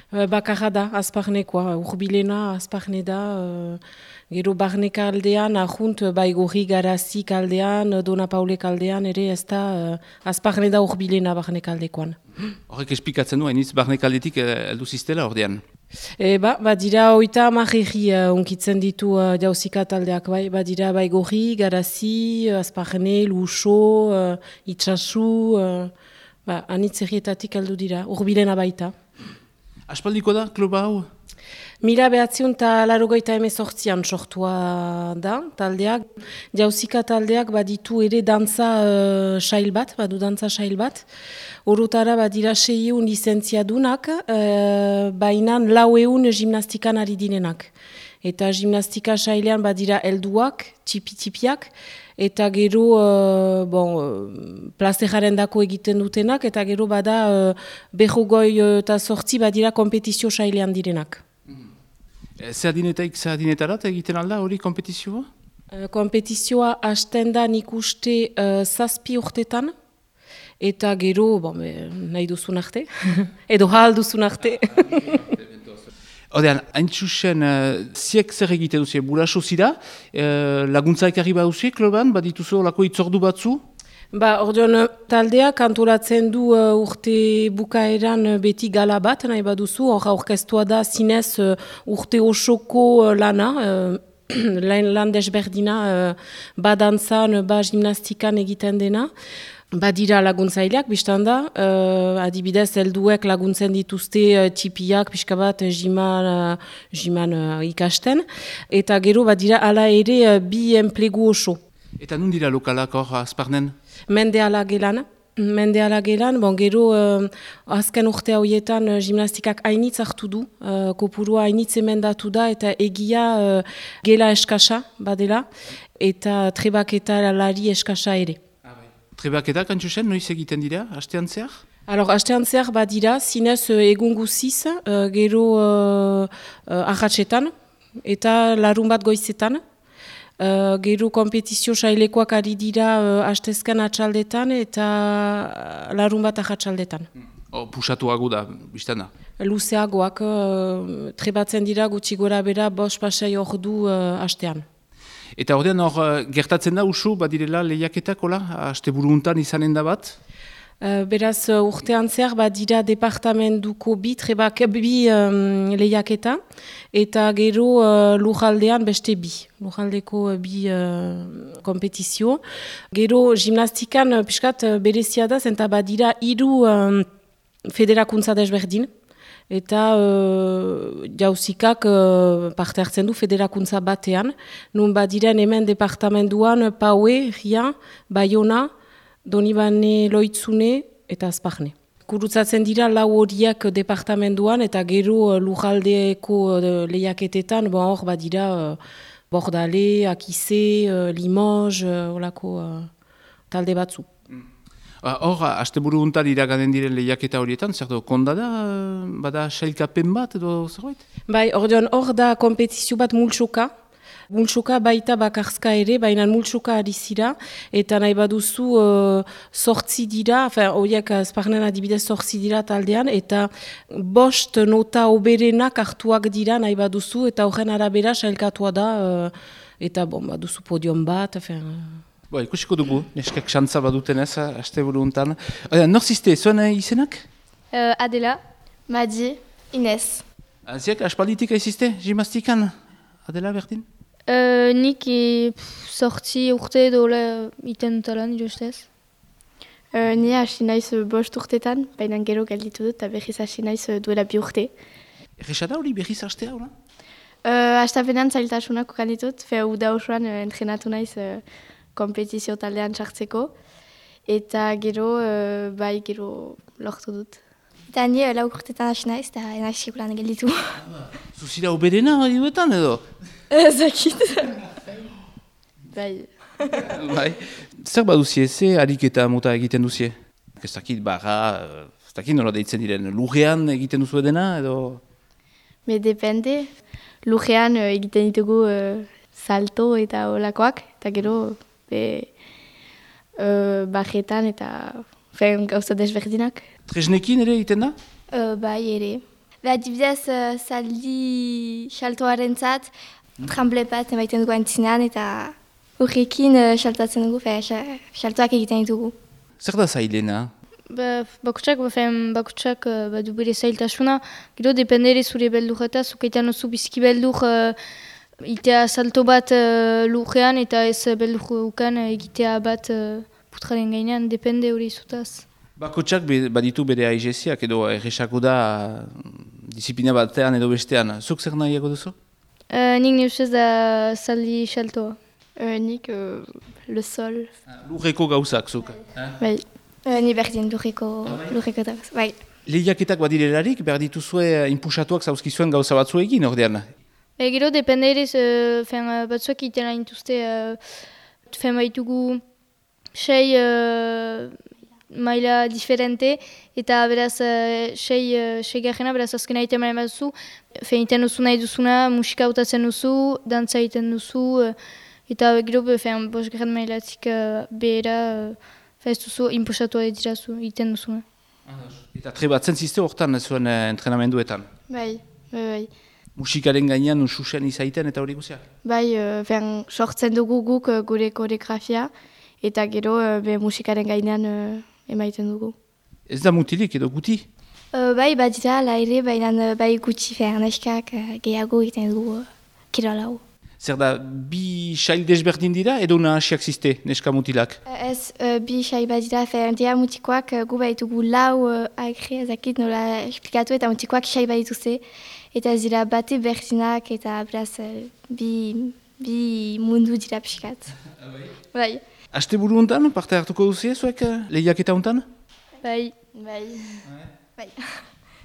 Bakarra da, azparnekoa, urbilena azparne da, gero barneka aldean, ahunt, bai gorri garazik aldean, Dona Paulek aldean, ere ez da, azparne da urbilena barneka aldekoan. Horrek esplikatzen du, hainitz barnekaldetik heldu ziztela ordean. Dira oita amarregi unkitzen ditu jauzika taldeak, dira bai gorri, garazi, azparne, luso, itxasu, anitz errietatik heldu dira, urbilena baita. Aspaldiko da, kluba hau? 1988an sortua da, taldeak. Jauzika taldeak baditu ere dantza sail bat, badu dantza sail bat. Orotara badira 600 lizentziadunak, baina 400 gimnastikan ari direnak. Eta gimnastika sailean badira helduak, txipi-txipiak, eta gero plazeraren dako egiten dutenak, eta gero bada berrogoi eta sortzi badira kompetizio sailean direnak. Zer adinetarat egiten alda hori kompetizioa? Kompetizioa hasten da nik uste 7 urtetan, eta gero nahi duzun arte, edo hal duzun arte. Odean, hain txusen, ziek zer egite duzie, buraso zira, laguntza ekarri baduzie, kloban, badituzu olako itzordu batzu? Ordean, taldeak antolatzen du urte bukaeran beti gala bat, nahi baduzu, orkestua da zinez urte osoko lana, lan desberdina, badantzan, gimnastikan egiten dena. Badira laguntzaileak, biztan da, adibidez, helduek laguntzen dituzte txipiak, pixka bat, jiman ikasten, eta gero badira ala ere bi enplegu oso. Eta nun dira lokalak hor azparnen? Mendeala gelan, gero azken urte horietan gimnastikak hainitz hartu du, kopurua hainitz emendatu da, eta egia gela eskasa badela, eta trebaketa lari eskasa ere. Trebaketa, kantxusen, noiz egiten dira, hastean zehar? Hastean zehar badira, zinez egun guziz, gero ahatsetan, eta larun bat goizetan. Gero kompetizio sailekoak ari dira hastezkan atxaldetan, eta larun bat ahatsaldetan. Pusatuago da, biztan da? Luzeagoak, trebatzen dira gutxi gora bera, 5 pasai ordu hastean. Eta ordean hor gertatzen da usu, badirela lehiaketak, haste buruntan izanen da bat? Beraz, urtean zehar badira departamentuko bi lehiaketa, eta gero lujaldean beste lujaldeko bi kompetizio. Gero gimnastikan piskat berezia da, zenta badira 3 federakuntza desberdin, eta jauzikak parte hartzen du federakuntza batean. Nun badiren hemen departamentuan Paue, Ria, Bayona, Donibane, Loitzune eta Azparne. Kurutzatzen dira 4 horiek departamentuan eta gero lujaldeko lehiaketetan, hor badira Bordale, Akize, Limoges, olako talde batzu. Hor, asteburu untan iraganen diren lehiaketa horietan, zer do, konda da, bada sailkapen bat edo zerbait? Hor da kompetizio bat multsoka. Multsoka baita bakarzka ere, baina multsoka ari zira, eta nahi baduzu 8 dira, horiek azparnen adibidez 8 dira taldean, eta 5 nota oberenak hartuak dira nahi baduzu, eta horren arabera sailkatua da, eta baduzu podium bat, Ikusiko dugu, neskak xantza baduten ez, asteburu untan. Nor ziste, zuen izenak? Adela, Madi, Inez. Ziek, aspalditik aizizte, gimnastikan? Adela, berdin? Nik sortzi urte dola iten talan, justez. Ni hasi naiz 5 urtetan, baina gero galditu dut, eta berriz hasi naiz duela 2 urte. Errexada hori berriz hastea, hori? Hastapenean zailtasunak ukanditut, uda osoan entrenatu naiz kompetizio taldean txartzeko, eta gero lortu dut. Eta ni 4 urtetan hasi naiz, eta enaiz sekulan gelditu. Zuzira oberena duetan edo? Ezakit. Bai. Zer baduzie, ze ariketa mota egiten duzie? Ez dakit barra, ez dakit nola deitzen diren, lurrean egiten duzu edena edo? Depende. Lurrean egiten ditugu salto eta olakoak, eta gero barretan eta gauza desberdinak. Tresnekin ere egiten da? Bai ere. Adibidez, zaldi saltoaren zat, tramble bat emaiten dugu antzinean, eta horrekin saltatzen dugu, saltoak egiten ditugu. Zer da zailena? Bakutsak badu bere zailtasuna, gero dependere zure beldur eta zukaitan oso biziki beldur itea salto bat lurrean eta ez beldur ukan egitea bat putraren gainean, depende hori zutaz. Bakotsak baditu bere aigeziak edo erresako da disiplina batean edo bestean. Zuk zer nahiago duzu? Nik neusez da zaldi saltoa. Nik le sol. Lurreko gauzak, zuk? Bai. Ni berdin lurreko da. Bai. Lehiaketak badirelarik, behar dituzue inpusatuak zauzkizuen gauza batzu egin, ordean? Gero depende ere batzuak itena intuzte baitugu 6 maila diferente, eta beraz 6 garrena, beraz azkena egiten maila batzu, iten duzu nahi duzuna, musika hautatzen duzu, dantza egiten duzu, eta gero 5 garren mailatik behera, ez duzu inpusatu edirazu egiten duzuna. Eta trebatzen zizte hortan zuen entrenamenduetan? Bai. Musikaren gainean ususen izaiten eta hori guziak? Bai, sortzen dugu guk gure koreografia, eta gero musikaren gainean emaiten dugu. Ez da mutilik edo guti? Bai, badira, laire, baina bai gutxi neskak gehiago egiten dugu kirolau. Zer da, bi sail desberdin dira edo nahasiak zizte neska mutilak? Ez, bi sail badira, dia mutikoak gu baitugu lau agre, ezakit nola esplikatu, eta mutikoak sail badituzte, eta ez dira bate berdinak, eta beraz bi mundu dira pixkat. Bai. Aste buru hontan, parte hartuko duzie, zuek lehiaketa hontan? Bai.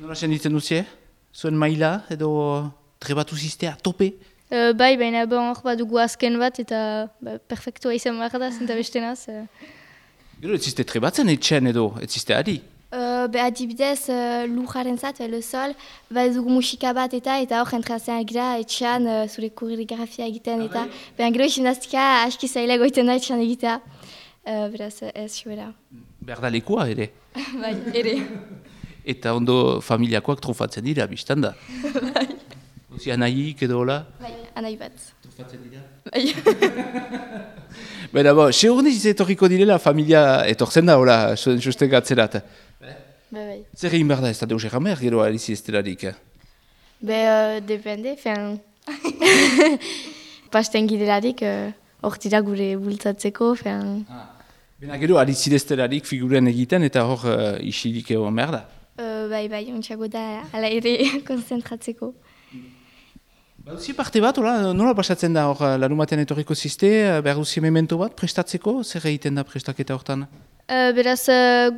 Nola senditzen duzie? Zuen maila edo trebatu ziztea tope? Bai, baina hor badugu azken bat, eta perfektua izan behar da, zenta bestenaz. Gero, ez zizte trebatzen etxen edo, ez zizte adi? Adibidez, lujaren zat, le sol, badugu musika bat eta hor entrazen gira etxean zure koreografia egiten eta gero gimnastika aski zaila goiten da etxean egitea. Beraz, ez joera. Behar da lekua ere? Bai, ere. Eta ondo familiakoak trofatzen dira, biztan da? Bai. Ozi anaiik edo hola? Bai, anai bat. Trofatzen dira? Bai. Baina, seurniz etorriko direla familia etortzen da, hola, susten gatzerat. Bai. Zer egin behar da, ez da deus egan behar, gero alizi ez delarik? Depende, pasten gidelarik, hor dira gure bultzatzeko, Bena gero, alizi ez delarik figuren egiten eta hor isilik egon behar da? Bai, ontsago da, ala ere konzentratzeko. Baduzi parte bat, nola pasatzen da hor larumatean etorriko zizte, behar duzi memento bat prestatzeko, zer egiten da prestaketa hortan? Beraz,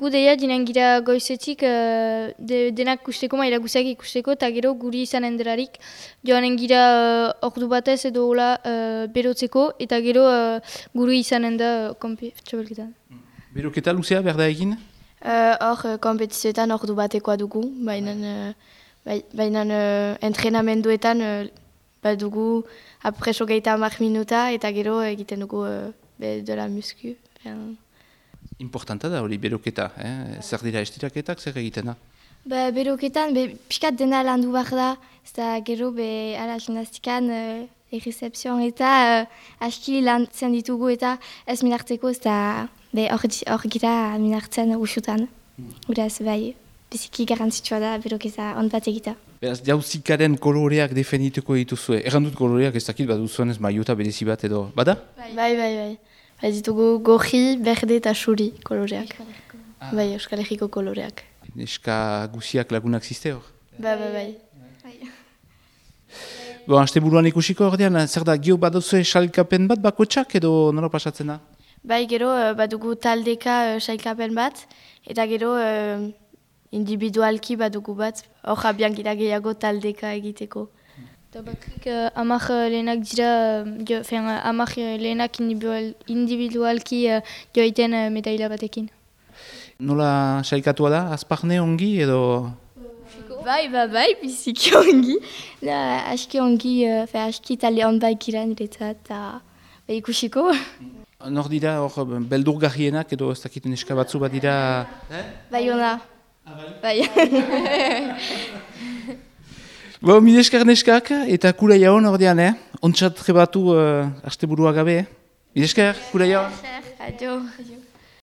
gu deia dinen gira goizetik denak kusteko, maila guziak ikusteko, eta gero guri izanen delarik joanen gira ordu batez edo hola berotzeko, eta gero guri izanen da txabelketan. Beroketa luzea behar da egin? Hor kompetizioetan ordu batekoa dugu, baina entrenamenduetan badugu apreso gehieta 10 minuta, eta gero egiten dugu dela musku. Importanta da hori beroketa, zer dira estiraketak, zer egiten da? Beroketan, pixkat dena landu behar da, eta gero ala gimnastikan errecepzioan eta aski lantzen ditugu eta ez minartzeko, eta hor gira minartzen usutan. Uraz, biziki garantzitsua da beroketa on bat egita. Beraz, jauzikaren koloreak defendituko dituzue. Errandut koloreak ez dakit bat duzuen ez maiota berezi bat edo, bada? Bai. Ditugu gorri, berde eta xuri koloreak. Bai, Euskal Herriko koloreak. Neska guziak lagunak ziste hor? Bai. Aste buruan ikusiko ordean, zer da, gio baduzue sailkapen bat bakotsak edo nola pasatzen da? Bai, gero badugu taldeka sailkapen bat, eta gero individualki badugu bat, hor abian gira gehiago taldeka egiteko. Eta bakrik amak lehenak dira, amak lehenak individualki joaiten metaila batekin. Nola sailkatua da, azparne ongi edo? Bai, biziki ongi. Aski ongi, aski talde hon baik iran niretzat, eta ikusiko. Nor dira, hor beldurgarrienak edo ez dakiten eska batzu bat dira? Bai, ona. Bai? Bo, midesker neskak, eta kura jaun ordean, Ontsat trebatu asteburua gabe, Midesker, kura jaun. Adio.